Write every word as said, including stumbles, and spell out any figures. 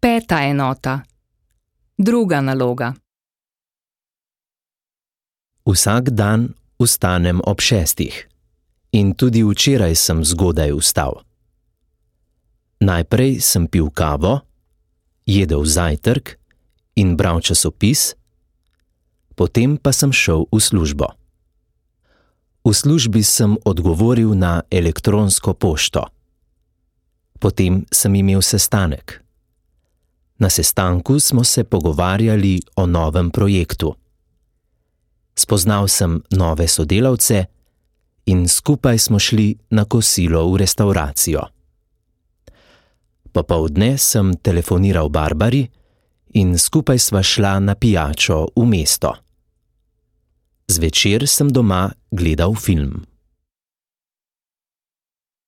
Peta enota. Druga naloga. Vsak dan vstanem ob šestih in tudi včeraj sem zgodaj vstal. Najprej sem pil kavo, jedel zajtrk in bral časopis, potem pa sem šel v službo. V službi sem odgovoril na elektronsko pošto. Potem sem imel sestanek. Na sestanku smo se pogovarjali o novem projektu. Spoznal sem nove sodelavce in skupaj smo šli na kosilo v restavracijo. Popoldne sem telefoniral Barbari in skupaj sva šla na pijačo v mesto. Zvečer sem doma gledal film.